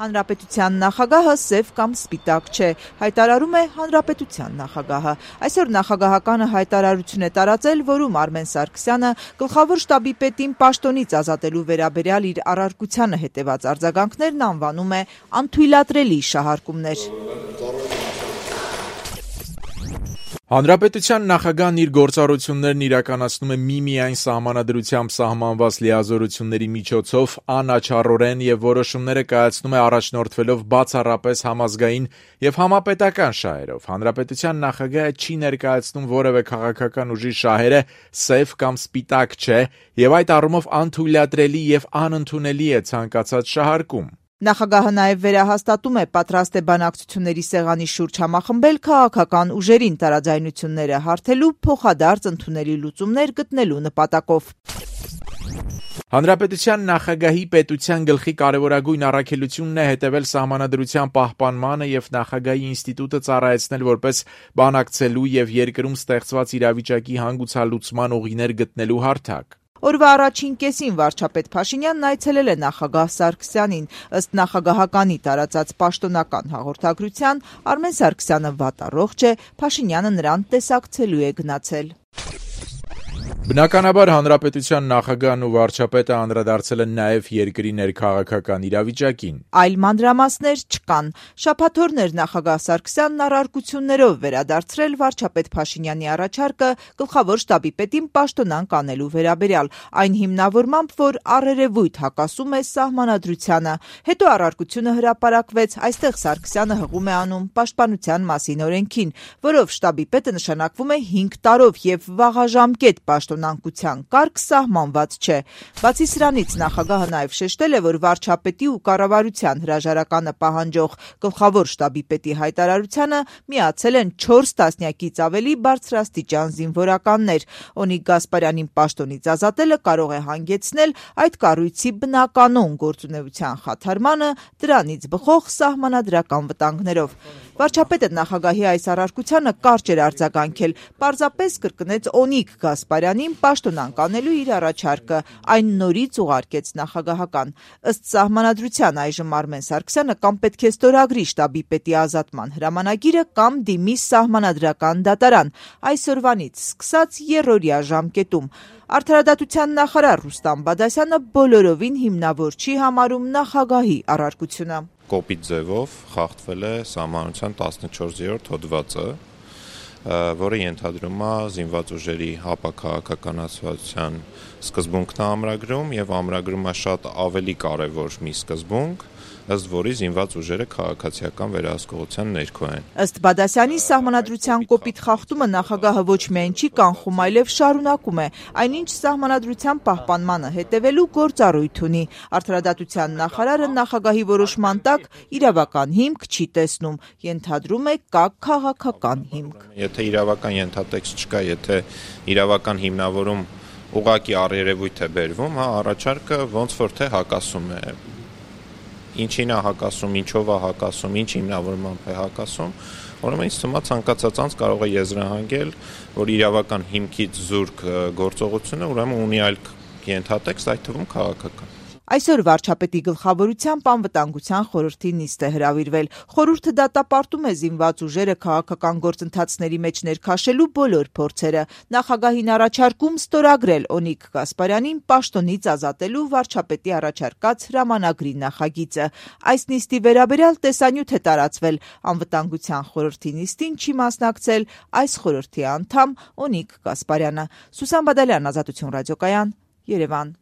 Հանրապետության նախագահը սև կամ սպիտակ չէ, հայտարարում է հանրապետության նախագահը։ Այսօր նախագահականը հայտարարություն է տարածել, որում Արմեն Սարգսյանը գլխավոր շտաբի պետին պաշտոնից ազատելու վերաբերյալ իր առարկությանը հետևած արձագանքներն անվանում է անթույլատրելի շահարկումներ։ Հանրապետության նախագահն իր գործառույթներն իրականացնում է միմիայն սահմանադրությամբ սահմանված լիազորությունների միջոցով անաչառորեն եւ որոշումները կայացնում է առաջնորդվելով բացառապես համազգային եւ համապետական շահերով։ Հանրապետության նախագահը չի ներկայացնում որևէ քաղաքական ուժի շահերը սև կամ սպիտակ չէ եւ այդ առումով անթույլատրելի եւ անընդունելի է ցանկացած շահարկում։ Նախագահը նաև վերահաստատում է պատրաստ է բանակցությունների սեղանի շուրջ համախմբել քաղաքական ուժերին տարաձայնությունները հարթելու փոխադարձ ընդունելի լուծումներ գտնելու նպատակով։ Հանրապետության նախագահի պետության գլխի կարևորագույն առաքելությունն է հետևել սահմանադրության պահպանմանը եւ նախագահի ինստիտուտը ծառայեցնել որպես բանակցելու եւ երկրում ստեղծված իրավիճակի հանգուցալուծման ուղիներ գտնելու հարթակ։ Օրվա առաջին կեսին վարչապետ Փաշինյանն այցելել է նախագահ Սարգսյանին։ Ըստ նախագահականի տարածած պաշտոնական հաղորդագրության Արմեն Սարգսյանը վատառողջ է, Փաշինյանը նրան տեսակցելու է գնացել։ Բնականաբար հանրապետության նախագահն ու վարչապետը անդրադարձել են նաև երկրի ներքաղաքական իրավիճակին։ Այլ մանրամասներ չկան։ Շաբաթօրն էր նախագահ Սարգսյանն առարկություններով վերադարձրել վարչապետ Փաշինյանի առաջարկը գլխավոր շտաբի պետին պաշտոնանկ անելու վերաբերյալ, այն հիմնավորմամբ, որ առերևույթ հակասում է սահմանադրությանը։ Հետո առարկությունը հրապարակվեց, այստեղ Սարգսյանը հղում է անում պաշտպանության մասին օրենքին, որով շտաբի պետը նշանակվում է 5 տարով եւ վաղաժամկետ պաշտոնանկության կարգ սահմանված չէ։ Բացի սրանից նախագահը նաև շեշտել է, որ վարչապետի ու կառավարության հրաժարականը պահանջող գլխավոր շտաբի պետի հայտարարությանը միացել են 4 տասնյակից ավելի բարձրաստիճան զինվորականներ։ Օնիկ Գասպարյանին պաշտոնից ազատելը կարող է հանգեցնել այդ կառույցի բնականոն գործունեության խաթարմանը, դրանից բխող սահմանադրական վտանգներով։ Վարչապետը նախագահի այս առարկությանը կարճ էր արձագանքել, պարզապես կրկնեց Օնիկ Գասպարյանին պաշտոնանկ անելու իր առաջարկը, այն նորից ուղարկեց նախագահական։ Ըստ սահմանադրության այժմ Արմեն Սարգսյանը կամ պետք է ստորագրի շտաբի պետի ազատման հրամանագիրը կամ դիմի սահմանադրական դատարան, այսօրվանից սկսած երրորդյա ժամկետում։ Արդարադատության նախարար Ռուստամ Բադասյանը բոլորովին հիմնավոր չի համարում նախագահի առարկությունը։ Կոպիտ ձևով խախտվել է սահմանության 14-րդ հոդվածը, որը ենթադրում է զինված ուժերի հապաքաղաքականացվածության սկզբունքն ամրագրում եւ ամրագրում է շատ ավելի կարեւոր մի սկզբունք, ըստ որի զինված ուժերը քաղաքացիական վերահսկողության ներքո են։ Ըստ Բադասյանի սահմանադրության կոպիտ խախտումը նախագահը ոչ միայն չի կանխում, այլև շարունակում է, այնինչ սահմանադրության պահպանմանը հետևելու գործառույթ ունի։ Արդարադատության նախարարը նախագահի որոշման տակ իրավական հիմք չի տեսնում, ենթադրում է կա քաղաքական հիմք։ Եթե իրավական ենթատեքստ չկա, եթե իրավական հիմնավորում ուղղակի առերևույթ է բերվում, առաջարկը ոնց որ թե հակասում է։ Ինչին է հակասում, ինչով է հակասում, ինչ հիմնավորմամբ է հակասում, ուրեմն ինձ թվում է ցանկացած անձ կարող է եզրահանգել, որ իրավական հիմքից զուրկ գործողությունը ուրեմն ունի այլ ենթատեքստ, այդ թվում քաղաքական։ Այսօր վարչապետի գլխավորությամբ անվտանգության խորհրդի նիստ է հրավիրվել։ Խորհուրդը դատապարտում է զինված ուժերը քաղաքական գործընթացների մեջ ներքաշելու բոլոր փորձերը։ Նախագահին առաջարկում ստորագրել Օնիկ Գասպարյանին պաշտոնից ազատելու վարչապետի առաջարկած հրամանագրի նախագիծը։ Այս նիստի վերաբերյալ տեսանյութ է տարածվել։ Անվտանգության խորհրդի նիստին չի մասնակցել այս խորհրդի անդամ Օնիկ Գասպարյանը։ Սուսան Բադալյան, Ազատություն ռադիոկայան, Երևան։